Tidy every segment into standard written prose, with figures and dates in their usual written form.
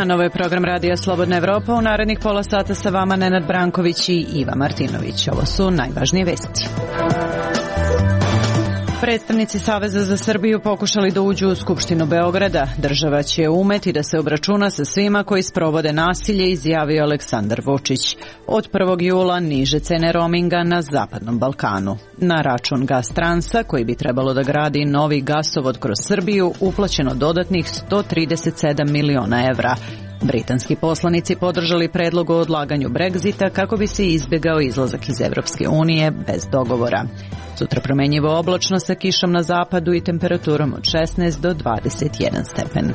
dan, ovo je program Radija Slobodna Evropa. U narednih pola sata sa vama Nenad Branković i Iva Martinović. Ovo su najvažnije vesti. Predstavnici Saveza za Srbiju pokušali da uđu u Skupštinu Beograda. Država će umeti da se obračuna sa svima koji sprovode nasilje, izjavio Aleksandar Vučić. Od 1. jula niže cene roaminga na Zapadnom Balkanu. Na račun Gastransa, koji bi trebalo da gradi novi gasovod kroz Srbiju, uplaćeno dodatnih 137 miliona evra. Britanski poslanici podržali predlog o odlaganju Brexita kako bi se izbjegao izlazak iz Evropske unije bez dogovora. Sutra promenjivo oblačno sa kišom na zapadu i temperaturom od 16 do 21 stepen.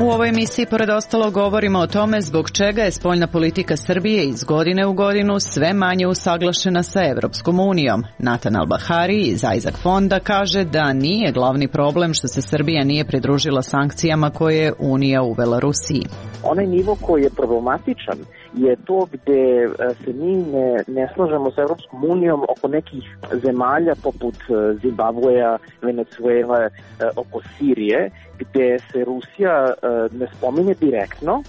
U ovoj emisiji pored ostalo govorimo o tome zbog čega je spoljna politika Srbije iz godine u godinu sve manje usaglašena sa Evropskom unijom. Natan Albahari iz Isaac fonda kaže da nije glavni problem što se Srbija nije pridružila sankcijama koje je Unija uvela Rusiji. Onaj nivo koji je problematičan je to gde se mi ne slažemo sa Evropskom unijom oko nekih zemalja poput Zimbabveja, Venezuela, oko Sirije, gde se Rusija ne spominje direktno.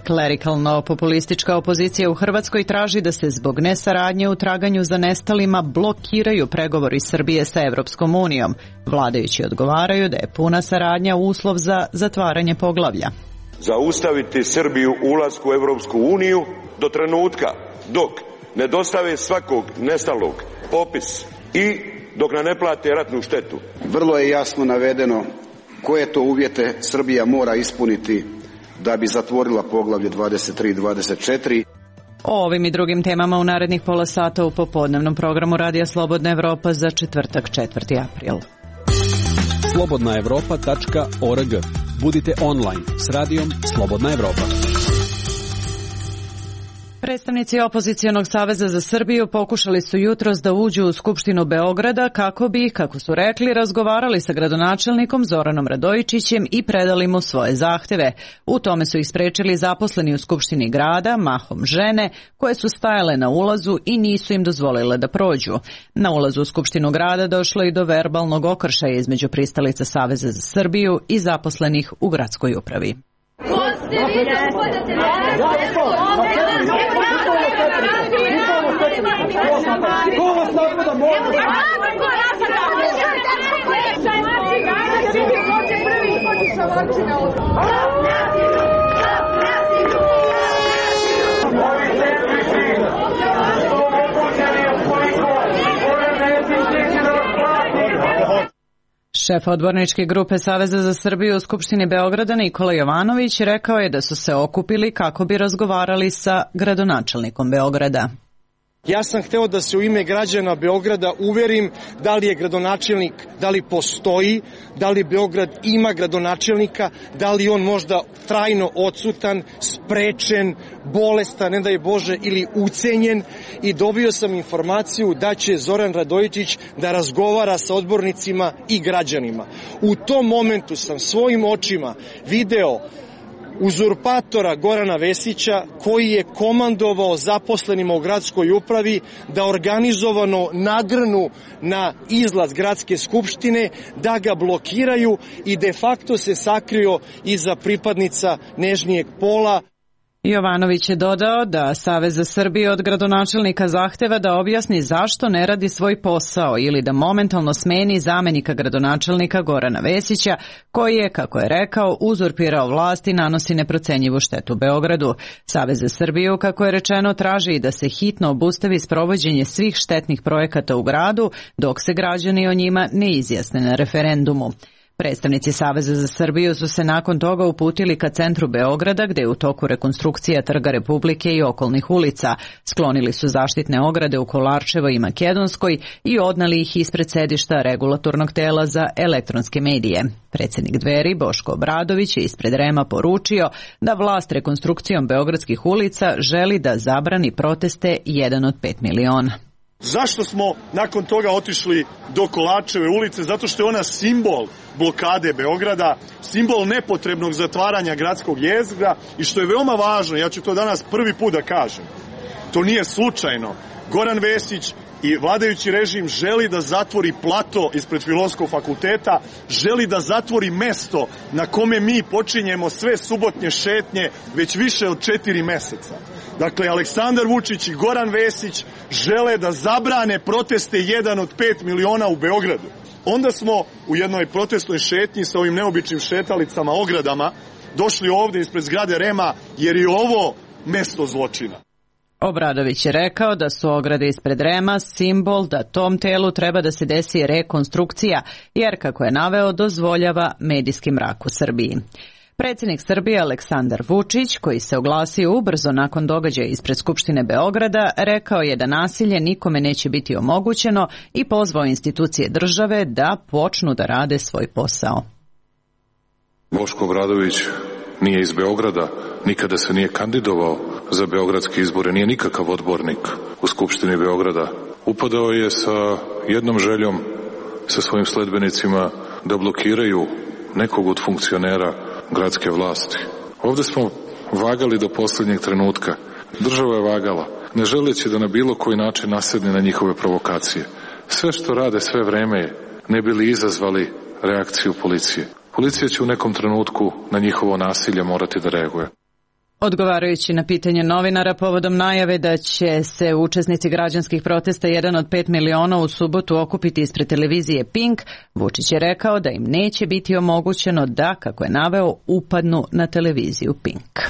Klerikalno-populistička opozicija u Hrvatskoj traži da se zbog nesaradnje u traganju za nestalima blokiraju pregovori Srbije sa Evropskom unijom. Vladajući odgovaraju da je puna saradnja uslov za zatvaranje poglavlja. Zaustaviti Srbiju ulasku u Evropsku uniju do trenutka dok ne dostave svakog nestalog popis i dok ne plate ratnu štetu. Vrlo je jasno navedeno koje to uvjete Srbija mora ispuniti da bi zatvorila poglavlje 23 i 24. O ovim i drugim temama u narednih pola sata u popodnevnom programu Radija Slobodna Evropa za četvrtak 4. april. slobodnaevropa.org. Budite online s radijom Slobodna Evropa. Predstavnici Opozicionog saveza za Srbiju pokušali su jutros da uđu u Skupštinu Beograda kako bi, kako su rekli, razgovarali sa gradonačelnikom Zoranom Radojičićem i predali mu svoje zahteve. U tome su ih sprečili zaposleni u Skupštini grada, mahom žene, koje su stajale na ulazu i nisu im dozvolile da prođu. Na ulazu u Skupštinu grada došlo i do verbalnog okršaja između pristalica Saveza za Srbiju i zaposlenih u gradskoj upravi. Šef odborničke grupe Saveza za Srbiju u Skupštini Beograda Nikola Jovanović rekao je da su se okupili kako bi razgovarali sa gradonačelnikom Beograda. Ja sam hteo da se u ime građana Beograda uverim da li je gradonačelnik, da li postoji, da li Beograd ima gradonačelnika, da li on možda trajno odsutan, sprečen, bolestan, ne daj Bože, ili ucenjen, i dobio sam informaciju da će Zoran Radojičić da razgovara sa odbornicima i građanima. U tom momentu sam svojim očima video uzurpatora Gorana Vesića koji je komandovao zaposlenima u gradskoj upravi da organizovano nagrnu na izlaz gradske skupštine, da ga blokiraju i de facto se sakrio iza pripadnica nežnijeg pola. Jovanović je dodao da Savez za Srbiju od gradonačelnika zahteva da objasni zašto ne radi svoj posao ili da momentalno smeni zamenika gradonačelnika Gorana Vesića, koji je, kako je rekao, uzurpirao vlast i nanosi neprocenjivu štetu Beogradu. Savez za Srbiju, kako je rečeno, traži i da se hitno obustavi sprovođenje svih štetnih projekata u gradu dok se građani o njima ne izjasne na referendumu. Predstavnici Saveza za Srbiju su se nakon toga uputili ka centru Beograda, gde je u toku rekonstrukcija Trga Republike i okolnih ulica. Sklonili su zaštitne ograde u Kolarčevoj i Makedonskoj i odnali ih ispred sedišta regulatornog tela za elektronske medije. Predsjednik Dveri Boško Obradović je ispred REM-a poručio da vlast rekonstrukcijom beogradskih ulica želi da zabrani proteste 1 od 5 miliona. Zašto smo nakon toga otišli do Kolarčeve ulice? Zato što je ona simbol blokade Beograda, simbol nepotrebnog zatvaranja gradskog jezgra i što je veoma važno, ja ću to danas prvi put da kažem, to nije slučajno. Goran Vesić i vladajući režim želi da zatvori plato ispred Filozofskog fakulteta, želi da zatvori mesto na kome mi počinjemo sve subotnje šetnje već više od 4 meseca. Dakle, Aleksandar Vučić i Goran Vesić žele da zabrane proteste 1 od 5 miliona u Beogradu. Onda smo u jednoj protestnoj šetnji sa ovim neobičnim šetalicama, ogradama, došli ovde ispred zgrade REM-a jer je ovo mesto zločina. Obradović je rekao da su ograde ispred REM-a simbol da tom telu treba da se desi rekonstrukcija, jer, kako je naveo, dozvoljava medijski mrak u Srbiji. Predsjednik Srbije Aleksandar Vučić, koji se oglasio ubrzo nakon događaja ispred Skupštine Beograda, rekao je da nasilje nikome neće biti omogućeno i pozvao institucije države da počnu da rade svoj posao. Boško Obradović nije iz Beograda, nikada se nije kandidovao za beogradske izbore, nije nikakav odbornik u Skupštini Beograda. Upadao je sa jednom željom, sa svojim sledbenicima, da blokiraju nekog od funkcionera gradske vlasti. Ovde smo vagali do posljednjeg trenutka. Država je vagala, ne želeći da na bilo koji način nasedne na njihove provokacije. Sve što rade sve vreme ne bi li izazvali reakciju policije. Policija će u nekom trenutku na njihovo nasilje morati da reaguje. Odgovarajući na pitanje novinara povodom najave da će se učesnici građanskih protesta 1 od 5 miliona u subotu okupiti ispred televizije Pink, Vučić je rekao da im neće biti omogućeno da, kako je naveo, upadnu na televiziju Pink.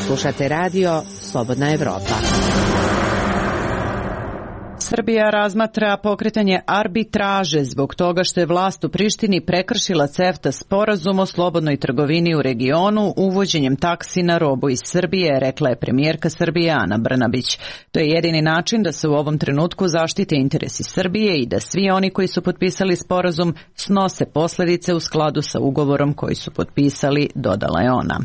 Slušate radio Slobodna Evropa. Srbija razmatra pokretanje arbitraže zbog toga što je vlast u Prištini prekršila CEFTA sporazum o slobodnoj trgovini u regionu uvođenjem taksi na robu iz Srbije, rekla je premijerka Srbije Ana Brnabić. To je jedini način da se u ovom trenutku zaštite interesi Srbije i da svi oni koji su potpisali sporazum snose posljedice u skladu sa ugovorom koji su potpisali, dodala je ona.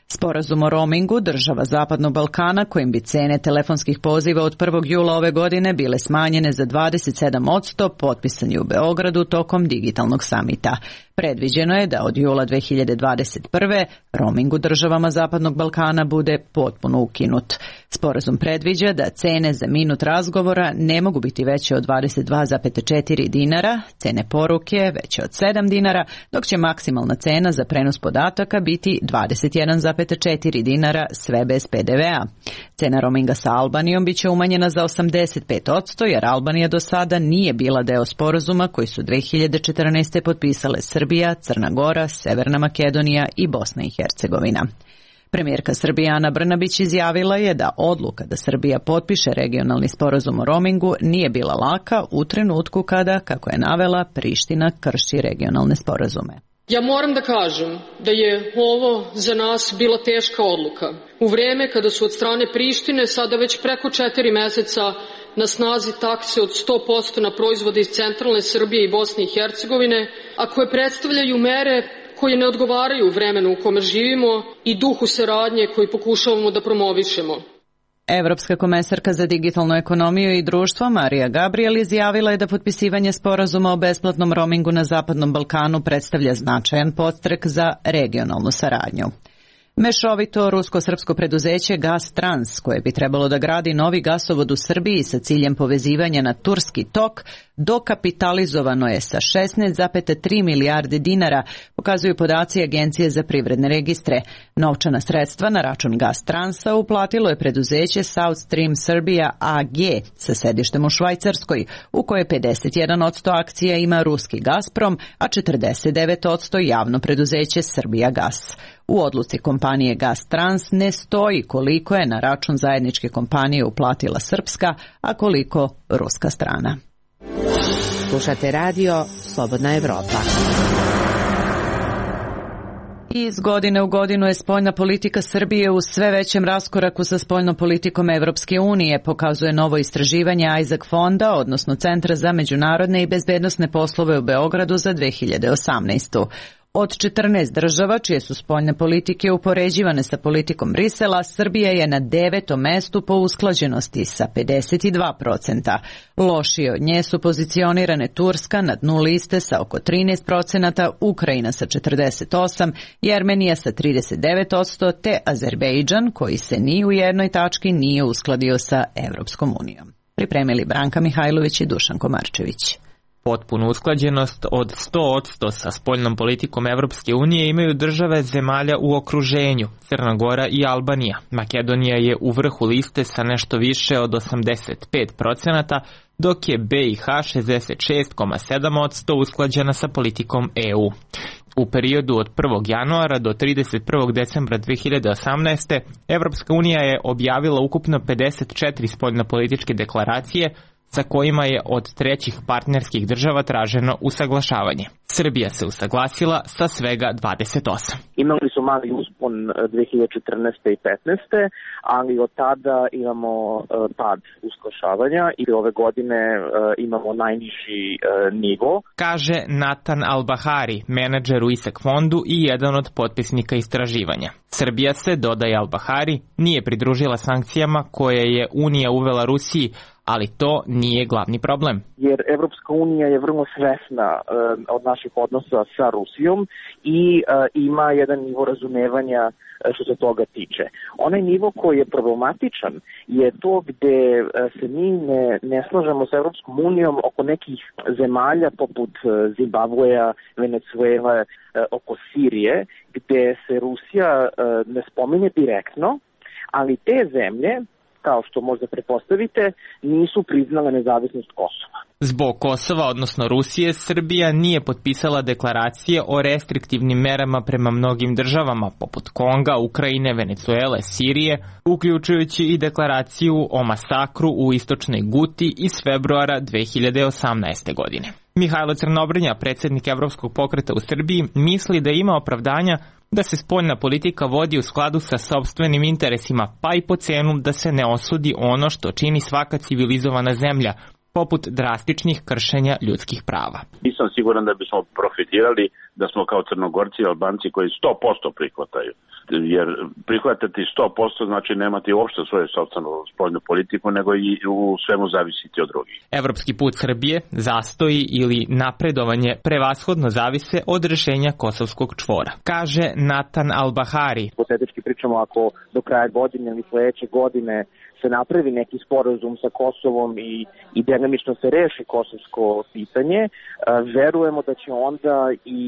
Sporazum o roamingu država Zapadnog Balkana, kojim bi cene telefonskih poziva od 1. jula ove godine bile smanjene za 27%, potpisan je u Beogradu tokom digitalnog samita. Predviđeno je da od jula 2021. roaming u državama Zapadnog Balkana bude potpuno ukinut. Sporazum predviđa da cene za minut razgovora ne mogu biti veće od 22,4 dinara, cene poruke veće od 7 dinara, dok će maksimalna cena za prenos podataka biti 21,4 dinara, sve bez PDV-a. Cena roaminga sa Albanijom biće umanjena za 85%, jer Albanija do sada nije bila deo sporazuma koji su 2014. potpisale Srbija, Crna Gora, Severna Makedonija i Bosna i Hercegovina. Premijerka Srbije Ana Brnabić izjavila je da odluka da Srbija potpiše regionalni sporazum o roamingu nije bila laka u trenutku kada, kako je navela, Priština krši regionalne sporazume. Ja moram da kažem da je ovo za nas bila teška odluka. U vreme kada su od strane Prištine sada već preko 4 meseca na snazi takse od 100% na proizvode iz centralne Srbije i Bosne i Hercegovine, a koje predstavljaju mere koje ne odgovaraju vremenu u kome živimo i duhu saradnje koji pokušavamo da promovišemo. Evropska komesarka za digitalnu ekonomiju i društvo Marija Gabriel izjavila je da potpisivanje sporazuma o besplatnom roamingu na Zapadnom Balkanu predstavlja značajan podstrek za regionalnu saradnju. Mešovito rusko-srpsko preduzeće Gas Trans, koje bi trebalo da gradi novi gasovod u Srbiji sa ciljem povezivanja na Turski tok, dokapitalizovano je sa 16,3 milijarde dinara, pokazuju podaci Agencije za privredne registre. Novčana sredstva na račun Gas Transa uplatilo je preduzeće South Stream Serbia AG sa sedištem u Švajcarskoj, u kojoj 51% akcija ima ruski Gazprom, a 49% javno preduzeće Srbija Gas. U odluci kompanije Gas Trans ne stoji koliko je na račun zajedničke kompanije uplatila srpska, a koliko ruska strana. Slušate radio Slobodna Evropa. Iz godine u godinu je spoljna politika Srbije u sve većem raskoraku sa spoljnom politikom Evropske unije, pokazuje novo istraživanje Isaac Fonda, odnosno Centra za međunarodne i bezbednosne poslove u Beogradu za 2018. Od 14 država čije su spoljne politike upoređivane sa politikom Brisela, Srbija je na 9. mestu po usklađenosti sa 52%. Lošije od nje su pozicionirane Turska na dnu liste sa oko 13%, Ukrajina sa 48%, Jermenija sa 39%, te Azerbejdžan koji se ni u jednoj tački nije uskladio sa Evropskom unijom. Pripremili Branka Mihajlović i Dušan Komarčević. Potpunu usklađenost od 100% sa spoljnom politikom Evropske unije imaju države zemalja u okruženju, Crna Gora i Albanija. Makedonija je u vrhu liste sa nešto više od 85%, dok je BiH 66,7% usklađena sa politikom EU. U periodu od 1. januara do 31. decembra 2018. Evropska unija je objavila ukupno 54 spoljnopolitičke deklaracije sa kojima je od trećih partnerskih država traženo usaglašavanje. Srbija se usaglasila sa svega 28. Imali su mali uspon 2014. i 2015. ali od tada imamo pad usaglašavanja i ove godine imamo najniži nivo. Kaže Natan Albahari, menadžer u ISEK fondu i jedan od potpisnika istraživanja. Srbija se, dodaje Albahari, nije pridružila sankcijama koje je Unija uvela Rusiji, ali to nije glavni problem. Jer Evropska unija je vrlo svesna od naših odnosa sa Rusijom i ima jedan nivo razumevanja što se toga tiče. Onaj nivo koji je problematičan je to gde se mi ne slažemo sa Evropskom unijom oko nekih zemalja poput Zimbabveja, Venezuele, oko Sirije, gde se Rusija ne spominje direktno, ali te zemlje, kao što možda pretpostavite, nisu priznale nezavisnost Kosova. Zbog Kosova, odnosno Rusije, Srbija nije potpisala deklaracije o restriktivnim merama prema mnogim državama, poput Konga, Ukrajine, Venezuele, Sirije, uključujući i deklaraciju o masakru u istočnoj Guti iz februara 2018. godine. Mihajlo Crnobrnja, predsjednik Evropskog pokreta u Srbiji, misli da ima opravdanja da se spoljna politika vodi u skladu sa sopstvenim interesima, pa i po cenu da se ne osudi ono što čini svaka civilizovana zemlja, poput drastičnih kršenja ljudskih prava. Nisam siguran da bismo profitirali da smo kao Crnogorci i Albanci koji 100% prihvataju. Jer prihvatati 100% znači nemati uopšte svoju sopstvenu spoljnu politiku, nego i u svemu zavisiti od drugih. Evropski put Srbije, zastoji ili napredovanje prevashodno zavise od rešenja kosovskog čvora, kaže Natan Albahari. Hipotetički pričamo, ako do kraja godine ili sledeće godine se napravi neki sporazum sa Kosovom i delimično se reši kosovsko pitanje, verujemo da će onda i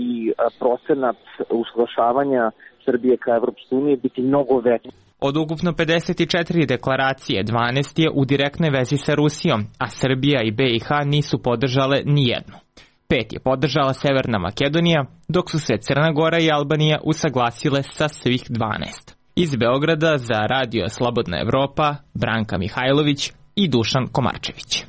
procenat usaglašavanja Srbije ka Evropskoj uniji biti mnogo veći. Od ukupno 54 deklaracije, 12 je u direktnoj vezi sa Rusijom, a Srbija i BiH nisu podržale ni jednu. 5 je podržala Severna Makedonija, dok su se Crna Gora i Albanija usaglasile sa svih 12. Iz Beograda za Radio Slobodna Evropa, Branka Mihajlović i Dušan Komarčević.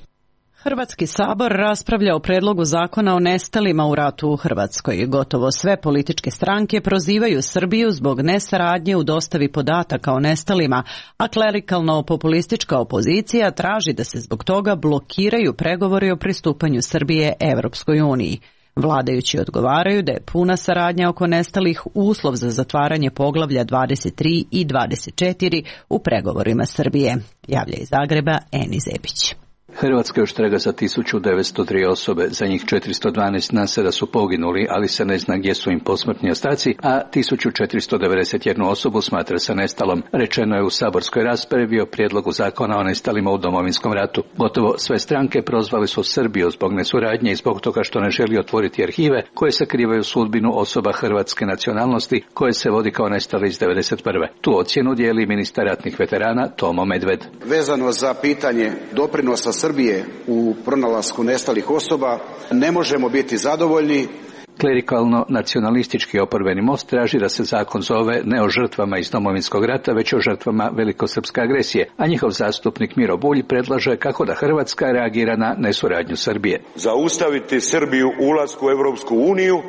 Hrvatski sabor raspravlja o predlogu zakona o nestalima u ratu u Hrvatskoj. Gotovo sve političke stranke prozivaju Srbiju zbog nesaradnje u dostavi podataka o nestalima, a klerikalno-populistička opozicija traži da se zbog toga blokiraju pregovori o pristupanju Srbije Evropskoj uniji. Vladajući odgovaraju da je puna saradnja oko nestalih uslov za zatvaranje poglavlja 23 i 24 u pregovorima Srbije. Javlja iz Zagreba Eni Zebić. Hrvatska još traga za 1903 osobe, za njih 412 nasada su poginuli, ali se ne zna gdje su im posmrtni ostaci, a 1491 osobu smatra se nestalom. Rečeno je u saborskoj raspravi o prijedlogu zakona o nestalima u Domovinskom ratu. Gotovo sve stranke prozvali su Srbiju zbog nesuradnje i zbog toga što ne želi otvoriti arhive koje sakrivaju sudbinu osoba hrvatske nacionalnosti koje se vodi kao nestali iz 1991. Tu ocjenu dijeli ministar ratnih veterana Tomo Medved. Vezano za pitanje doprinosa Srbije u pronalasku nestalih osoba, ne možemo biti zadovoljni. Klerikalno-nacionalistički oporbeni most traži da se zakon zove ne o žrtvama iz Domovinskog rata, već o žrtvama velikosrpske agresije, a njihov zastupnik Miro Bulj predlaže kako da Hrvatska reagira na nesuradnju Srbije. Zaustaviti Srbiju u ulasku u Evropsku uniju,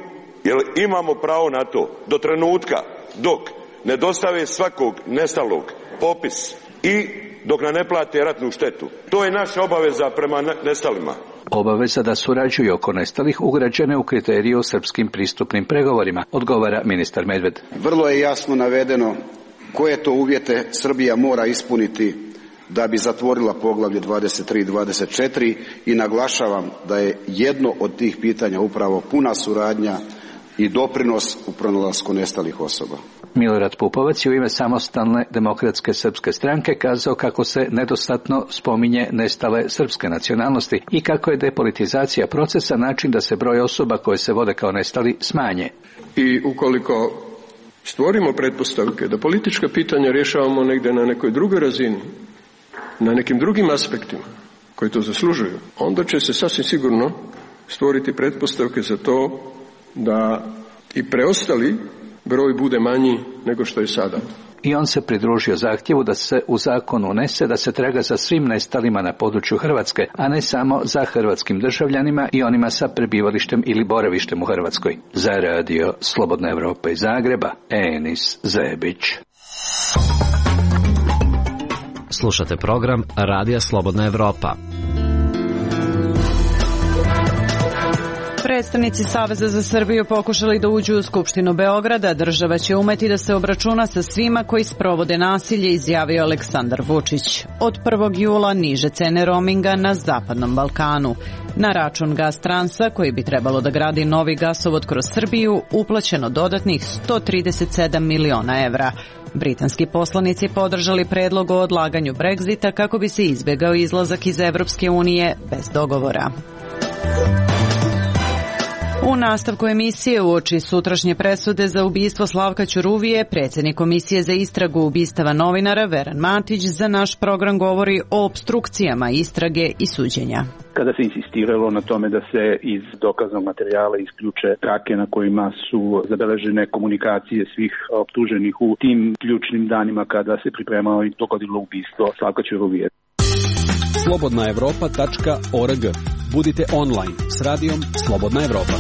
jer imamo pravo na to do trenutka dok ne dostave svakog nestalog popis i dok nam ne plate ratnu štetu. To je naša obaveza prema nestalima. Obaveza da surađuju oko nestalih ugrađene u kriteriju o srpskim pristupnim pregovorima, odgovara ministar Medved. Vrlo je jasno navedeno koje to uvjete Srbija mora ispuniti da bi zatvorila poglavlje 23 i 24 i naglašavam da je jedno od tih pitanja upravo puna suradnja i doprinos u pronalasku nestalih osoba. Milorad Pupovac je u ime Samostalne demokratske srpske stranke kazao kako se nedostatno spominje nestale srpske nacionalnosti i kako je depolitizacija procesa način da se broj osoba koje se vode kao nestali smanje. I ukoliko stvorimo pretpostavke da politička pitanja rješavamo negdje na nekoj drugoj razini, na nekim drugim aspektima koji to zaslužuju, onda će se sasvim sigurno stvoriti pretpostavke za to da i preostali broj bude manji nego što je sada. I on se pridružio zahtjevu da se u zakon unese da se traga za svim nestalima na području Hrvatske, a ne samo za hrvatskim državljanima i onima sa prebivalištem ili boravištem u Hrvatskoj. Za radio Slobodna Evropa iz Zagreba, Enis Zebić. Slušate program Radija Slobodna Evropa. Predstavnici Saveza za Srbiju pokušali da uđu u Skupštinu Beograda. Država će umeti da se obračuna sa svima koji sprovode nasilje, izjavio Aleksandar Vučić. Od 1. jula niže cene roaminga na Zapadnom Balkanu. Na račun Gastransa, koji bi trebalo da gradi novi gasovod kroz Srbiju, uplaćeno dodatnih 137 miliona evra. Britanski poslanici podržali predlog o odlaganju Brexita kako bi se izbjegao izlazak iz Evropske unije bez dogovora. U nastavku emisije uoči sutrašnje presude za ubistvo Slavka Ćuruvije, predsjednik Komisije za istragu ubistava novinara Veran Matić za naš program govori o opstrukcijama istrage i suđenja. Kada se insistiralo na tome da se iz dokaznog materijala isključe trake na kojima su zabeležene komunikacije svih optuženih u tim ključnim danima kada se pripremao i dogodilo ubistvo Slavka Ćuruvije. slobodnaevropa.org. Budite online s radijom Slobodna Evropa.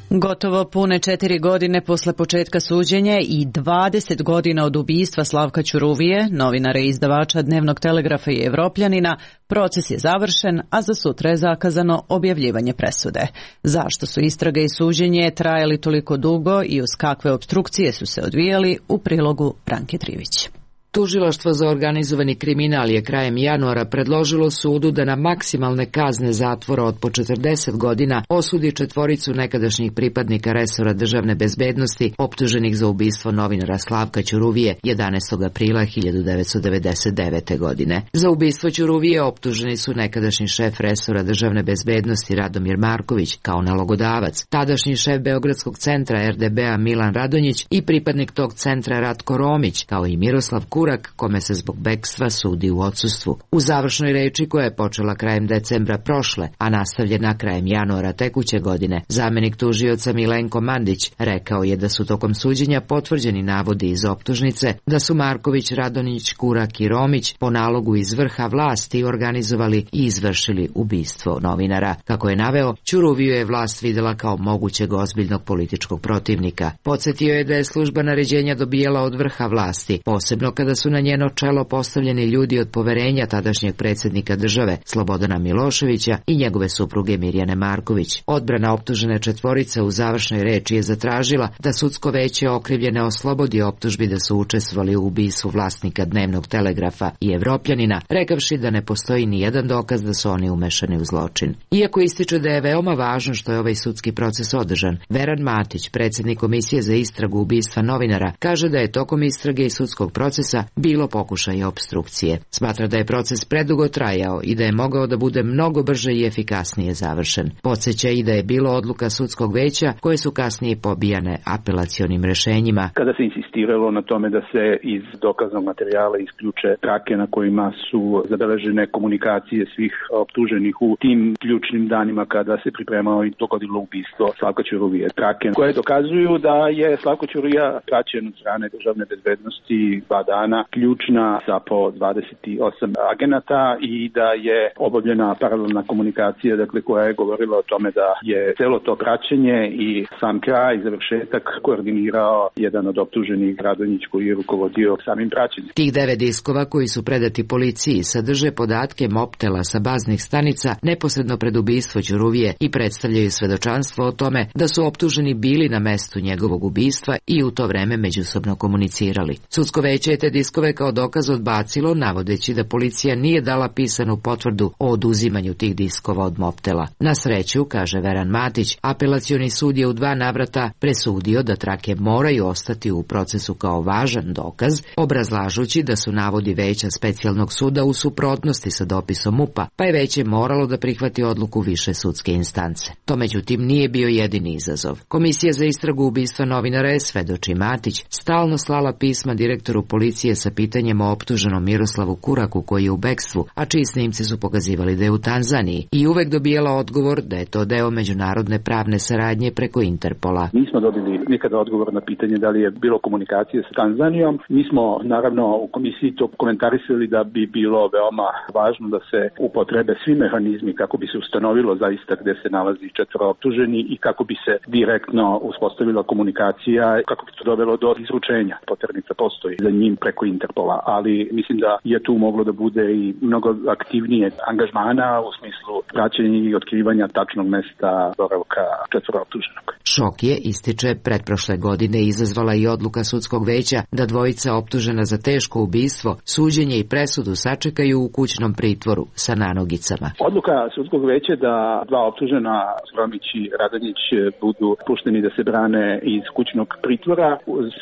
Gotovo pune 4 godine posle početka suđenja i 20 godina od ubistva Slavka Ćuruvije, novinara i izdavača Dnevnog telegrafa i Evropljanina, proces je završen, a za sutra je zakazano objavljivanje presude. Zašto su istraga i suđenje trajali toliko dugo i uz kakve opstrukcije su se odvijali, u prilogu Branke Trivić. Tužilaštvo za organizovani kriminal je krajem januara predložilo sudu da na maksimalne kazne zatvora od po 40 godina osudi 4 nekadašnjih pripadnika resora državne bezbednosti optuženih za ubistvo novinara Slavka Ćuruvije 11. aprila 1999. godine. Za ubistvo Ćuruvije optuženi su nekadašnji šef resora državne bezbednosti Radomir Marković kao nalogodavac, tadašnji šef Beogradskog centra RDB-a Milan Radonjić i pripadnik tog centra Ratko Romić, kao i Miroslav Kurak, kome se zbog bekstva sudi u odsustvu. U završnoj reči koja je počela krajem decembra prošle, a nastavljena krajem januara tekuće godine, zamenik tužioca Milenko Mandić rekao je da su tokom suđenja potvrđeni navodi iz optužnice da su Marković, Radonjić, Kurak i Romić po nalogu iz vrha vlasti organizovali i izvršili ubistvo novinara. Kako je naveo, Ćuruviju je vlast videla kao mogućeg ozbiljnog političkog protivnika. Podsjetio je da je služba naređenja dobijala od vrha vlasti, posebno kada su na njeno čelo postavljeni ljudi od poverenja tadašnjeg predsjednika države Slobodana Miloševića i njegove supruge Mirjane Marković. Odbrana optužene 4 u završnoj reči je zatražila da sudsko veće okrivljene oslobodi optužbi da su učestvovali u ubistvu vlasnika Dnevnog telegrafa i Evropljanina, rekavši da ne postoji ni jedan dokaz da su oni umešani u zločin. Iako ističe da je veoma važno što je ovaj sudski proces održan, Veran Matić, predsjednik Komisije za istragu ubistva novinara, kaže da je tokom istrage i sudskog procesa bilo pokušaja opstrukcije. Smatra da je proces predugo trajao i da je mogao da bude mnogo brže i efikasnije završen. Podsjeća i da je bilo odluka sudskog veća koje su kasnije pobijane apelacionim rešenjima. Kada se insistiralo na tome da se iz dokaznog materijala isključe trake na kojima su zabeležene komunikacije svih optuženih u tim ključnim danima kada se pripremao i dogodilo ubistvo Slavka Ćuruvije. Trake koje dokazuju da je Slavko Ćuruvija praćen od strane državne bezbednosti 2 dana, ključna sa po 28 agenata i da je obavljena paralelna komunikacija, dakle, koja je govorila o tome da je celo to praćenje i sam kraj i završetak koordinirao jedan od optuženih, Radonjić, koji je rukovodio samim praćenjem. Tih 9 diskova koji su predati policiji sadrže podatke moptela sa baznih stanica neposredno pred ubistvo Ćuruvije i predstavljaju svedočanstvo o tome da su optuženi bili na mestu njegovog ubistva i u to vreme međusobno komunicirali. Sudsko veće je te diskove kao dokaz odbacilo, navodeći da policija nije dala pisanu potvrdu o oduzimanju tih diskova od moptela. Na sreću, kaže Veran Matić, apelacioni sud je u 2 navrata presudio da trake moraju ostati u procesu kao važan dokaz, obrazlažući da su navodi veća specijalnog suda u suprotnosti sa dopisom MUP-a, pa je veće moralo da prihvati odluku više sudske instance. To međutim nije bio jedini izazov. Komisija za istragu ubistva novinara je, svedoči Matić, stalno slala pisma direktoru policije sa pitanjem o optuženom Miroslavu Kuraku koji je u bekstvu, a čiji snimci su pokazivali da je u Tanzaniji, i uvek dobijala odgovor da je to deo međunarodne pravne saradnje preko Interpola. Nismo dobili nikada odgovor na pitanje da li je bilo komunikacije sa Tanzanijom. Mi smo naravno u komisiji to komentarisali da bi bilo veoma važno da se upotrebe svi mehanizmi kako bi se ustanovilo zaista gde se nalazi 4 optuženi i kako bi se direktno uspostavila komunikacija, kako bi to dovelo do izručenja. Poternica postoji za njim preko Interpola, ali mislim da je tu moglo da bude i mnogo aktivnije angažmana u smislu praćenja i otkrivanja tačnog mesta boravka 4 optuženog. Šok je, ističe, pretprošle godine izazvala i odluka sudskog veća da 2 optužena za teško ubistvo, suđenje i presudu sačekaju u kućnom pritvoru sa nanogicama. Odluka sudskog veća da 2 optužena, Romić i Radonjić, budu pušteni da se brane iz kućnog pritvora,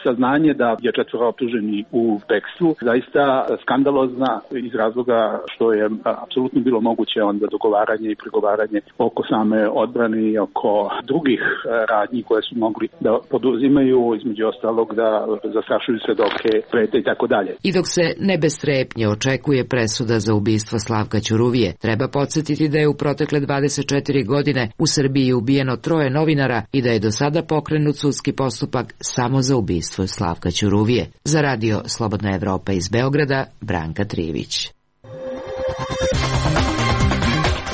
saznanje da je 4 optuženi u bekstvu, zaista skandalozna iz razloga što je apsolutno bilo moguće onda dogovaranje i pregovaranje oko same odbrane i oko drugih radnji koje su mogli da poduzimaju, između ostalog da zastrašuju svedoke, prete i tako dalje. I dok se ne bez strepnje očekuje presuda za ubistvo Slavka Ćuruvije, treba podsjetiti da je u protekle 24 godine u Srbiji ubijeno 3 novinara i da je do sada pokrenut sudski postupak samo za ubistvo Slavka Ćuruvije. Za radio Slobodna Evropa iz Beograda, Branka Trivić.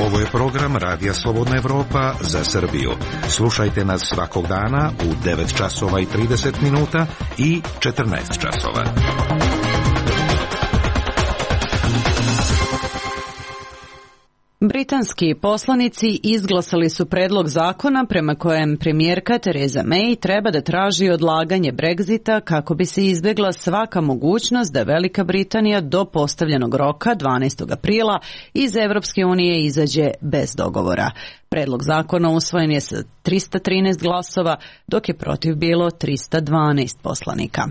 Ovo je program Radija Slobodna Evropa za Srbiju. Slušajte nas svakog dana u 9 časova i 30 minuta i 14 časova. Britanski poslanici izglasali su predlog zakona prema kojem premijerka Theresa May treba da traži odlaganje Brexita kako bi se izbjegla svaka mogućnost da Velika Britanija do postavljenog roka 12. aprila iz Evropske unije izađe bez dogovora. Predlog zakona usvojen je sa 313 glasova, dok je protiv bilo 312 poslanika.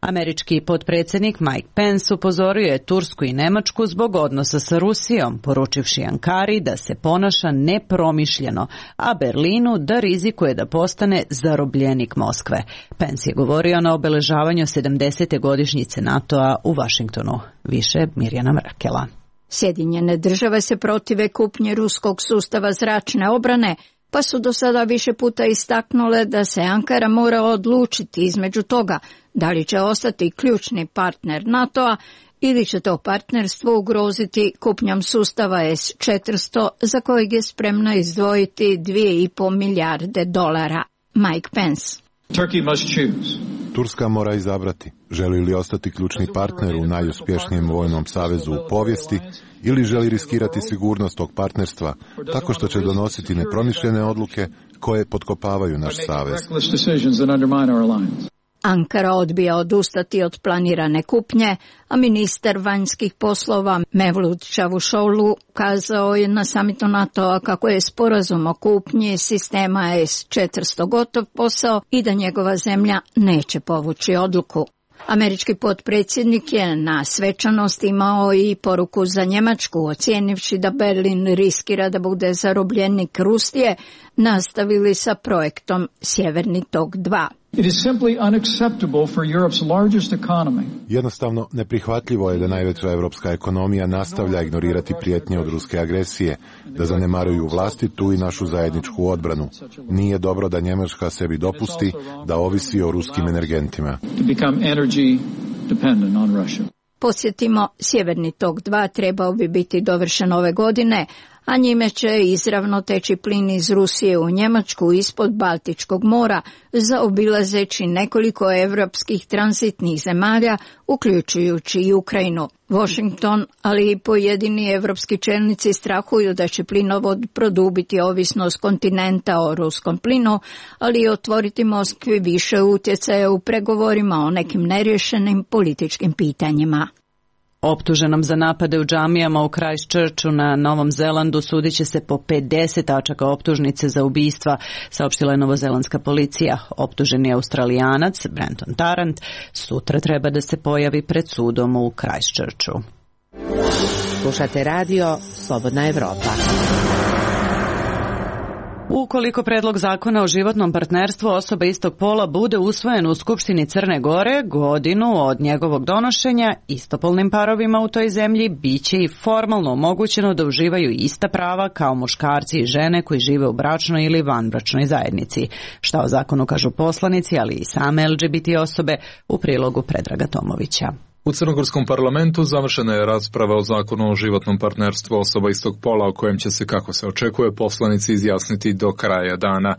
Američki potpredsjednik Mike Pence upozorio je Tursku i Nemačku zbog odnosa sa Rusijom, poručivši Ankari da se ponaša nepromišljeno, a Berlinu da rizikuje da postane zarobljenik Moskve. Pence je govorio na obeležavanju 70. godišnjice NATO-a u Vašingtonu. Više Mirjana Mrakela. Sjedinjene države se protive kupnje ruskog sustava zračne obrane, pa su do sada više puta istaknule da se Ankara mora odlučiti između toga da li će ostati ključni partner NATO-a ili će to partnerstvo ugroziti kupnjom sustava S-400 za kojeg je spremna izdvojiti $2,5 milijarde. Mike Pence. Turska mora izabrati želi li ostati ključni partner u najuspješnijem vojnom savezu u povijesti ili želi riskirati sigurnost tog partnerstva tako što će donositi nepromišljene odluke koje potkopavaju naš savez. Ankara odbija odustati od planirane kupnje, a ministar vanjskih poslova Mevlut Čavusoglu kazao je na samitu NATO-a kako je sporazum o kupnji sistema S-400 gotov posao i da njegova zemlja neće povući odluku. Američki potpredsjednik je na svečanosti imao i poruku za Njemačku, ocijenivši da Berlin riskira da bude zarobljenik Rusije, nastavili sa projektom Sjeverni tok 2. Jednostavno neprihvatljivo je da najveća evropska ekonomija nastavlja ignorirati prijetnje od ruske agresije, da zanemaruju vlastitu i našu zajedničku odbranu. Nije dobro da Njemačka sebi dopusti da ovisi o ruskim energentima. Podsjetimo, Sjeverni tok 2 trebao bi biti dovršen ove godine, a njime će izravno teći plin iz Rusije u Njemačku ispod Baltičkog mora, zaobilazeći nekoliko evropskih tranzitnih zemalja, uključujući i Ukrajinu. Washington, ali i pojedini evropski čelnici strahuju da će plinovod produbiti ovisnost kontinenta o ruskom plinu, ali i otvoriti Moskvi više utjecaja u pregovorima o nekim nerješenim političkim pitanjima. Optuženom za napade u džamijama u Christchurchu na Novom Zelandu sudit će se po 50 tačaka optužnice za ubistva, saopštila je novozelandska policija. Optuženi Australijanac Brenton Tarrant sutra treba da se pojavi pred sudom u Christchurchu. Slušate radio Slobodna Evropa. Ukoliko predlog zakona o životnom partnerstvu osoba istog pola bude usvojen u Skupštini Crne Gore, godinu od njegovog donošenja, istopolnim parovima u toj zemlji biće i formalno omogućeno da uživaju ista prava kao muškarci i žene koji žive u bračnoj ili vanbračnoj zajednici. Šta o zakonu kažu poslanici, ali i same LGBT osobe, u prilogu Predraga Tomovića. U crnogorskom parlamentu završena je rasprava o zakonu o životnom partnerstvu osoba istog pola o kojem će se, kako se očekuje, poslanici izjasniti do kraja dana.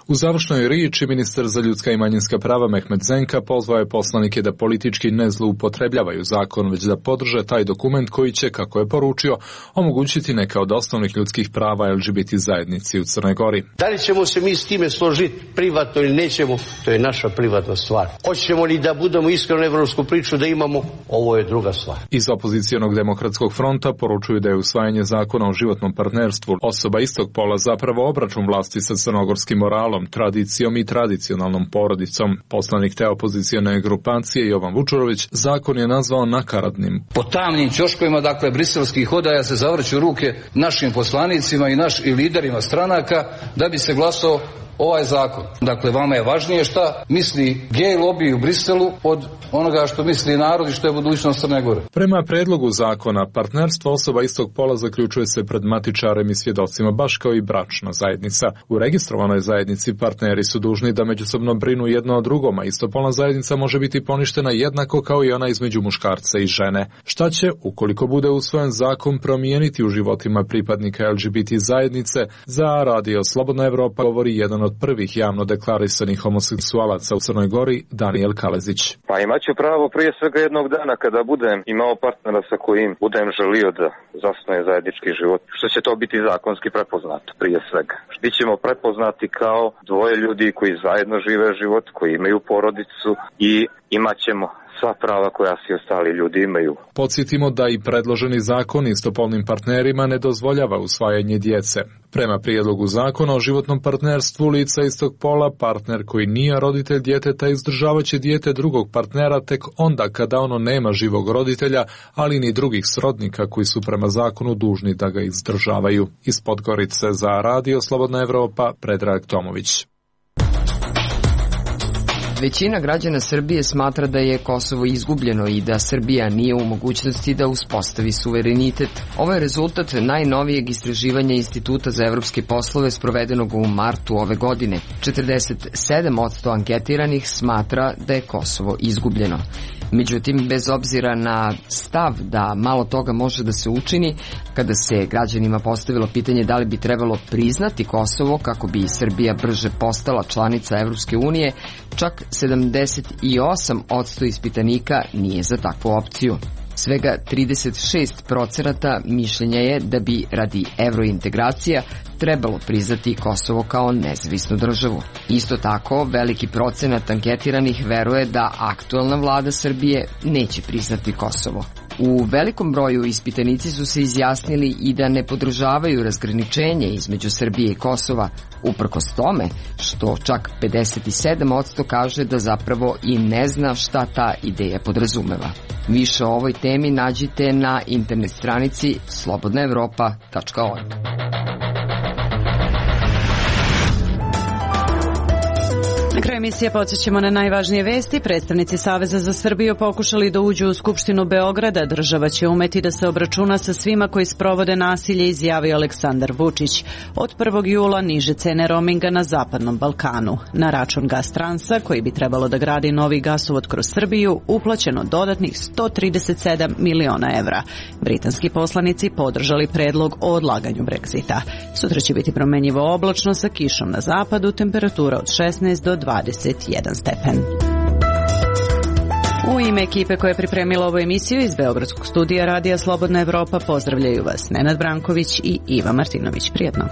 U završnoj riječi ministar za ljudska i manjinska prava Mehmet Zenka pozvao je poslanike da politički ne zloupotrebljavaju zakon, već da podrže taj dokument koji će, kako je poručio, omogućiti neka od osnovnih ljudskih prava LGBT zajednici u Crnoj Gori. Da li ćemo se mi s time složiti privatno ili nećemo, to je naša privatna stvar. Hoćemo li da budemo iskreno evropsku priču da imamo, ovo je druga stvar. Iz opozicijonog demokratskog fronta poručuju da je usvajanje zakona o životnom partnerstvu osoba istog pola zapravo obračun vlasti sa crnogorskim moralom, tradicijom i tradicionalnom porodicom. Poslanik te opozicione grupacije Jovan Vučurović zakon je nazvao nakaradnim. Po tamnim ćoškovima, dakle, briselskih odaja se zavrću ruke našim poslanicima i liderima stranaka da bi se glasao ovaj zakon. Dakle, vama je važnije šta misli gej lobby u Briselu od onoga što misli narod i što je budućnost Crne Gore. Prema predlogu zakona, partnerstvo osoba istog pola zaključuje se pred matičarem i svjedocima, baš kao i bračna zajednica. U registrovanoj zajednici partneri su dužni da međusobno brinu jedno o drugom, a istopolna zajednica može biti poništena jednako kao i ona između muškarca i žene. Šta će, ukoliko bude usvojen zakon, promijeniti u životima pripadnika LGBT zajednice? Za radio Slobodna Evropa govori jedan od prvih javno deklarisanih homoseksualaca u Crnoj Gori, Daniel Kalezić. Pa imaću pravo prije svega jednog dana kada budem imao partnera sa kojim budem želio da zasnuje zajednički život, što će to biti zakonski prepoznato prije svega. Bićemo prepoznati kao dvoje ljudi koji zajedno žive život, koji imaju porodicu i imaćemo sva prava koja svi ostali ljudi imaju. Podsjetimo da i predloženi zakon istopolnim partnerima ne dozvoljava usvajanje djece. Prema prijedlogu zakona o životnom partnerstvu lica istog pola, partner koji nije roditelj djeteta izdržavaće dijete drugog partnera tek onda kada ono nema živog roditelja, ali ni drugih srodnika koji su prema zakonu dužni da ga izdržavaju. Iz Podgorice za radio Slobodna Evropa, Predrag Tomović. Većina građana Srbije smatra da je Kosovo izgubljeno i da Srbija nije u mogućnosti da uspostavi suverenitet. Ovo je rezultat najnovijeg istraživanja Instituta za evropske poslove sprovedenog u martu ove godine. 47% anketiranih smatra da je Kosovo izgubljeno. Međutim, bez obzira na stav da malo toga može da se učini, kada se građanima postavilo pitanje da li bi trebalo priznati Kosovo kako bi Srbija brže postala članica Evropske unije, čak 78% ispitanika nije za takvu opciju. Svega 36% mišljenja je da bi radi evrointegracija trebalo priznati Kosovo kao nezavisnu državu. Isto tako, veliki procenat anketiranih veruje da aktualna vlada Srbije neće priznati Kosovo. U velikom broju ispitanici su se izjasnili i da ne podržavaju razgraničenje između Srbije i Kosova, uprkos tome što čak 57% kaže da zapravo i ne zna šta ta ideja podrazumeva. Više o ovoj temi nađite na internet stranici slobodnaevropa.org. Na kraju emisije podsjećamo na najvažnije vesti. Predstavnici Saveza za Srbiju pokušali da uđu u Skupštinu Beograda. Država će umeti da se obračuna sa svima koji sprovode nasilje, izjavio Aleksandar Vučić. Od 1. jula niže cene roaminga na Zapadnom Balkanu. Na račun Gastransa, koji bi trebalo da gradi novi gasovod kroz Srbiju, uplaćeno dodatnih 137 miliona evra. Britanski poslanici podržali predlog o odlaganju Brexita. Sutra će biti promenjivo oblačno sa kišom na zapadu, temperatura od 16 do 21 stepen. U ime ekipe koja je pripremila ovu emisiju iz Beogradskog studija Radija Slobodna Evropa pozdravljaju vas Nenad Branković i Iva Martinović. Prijetno.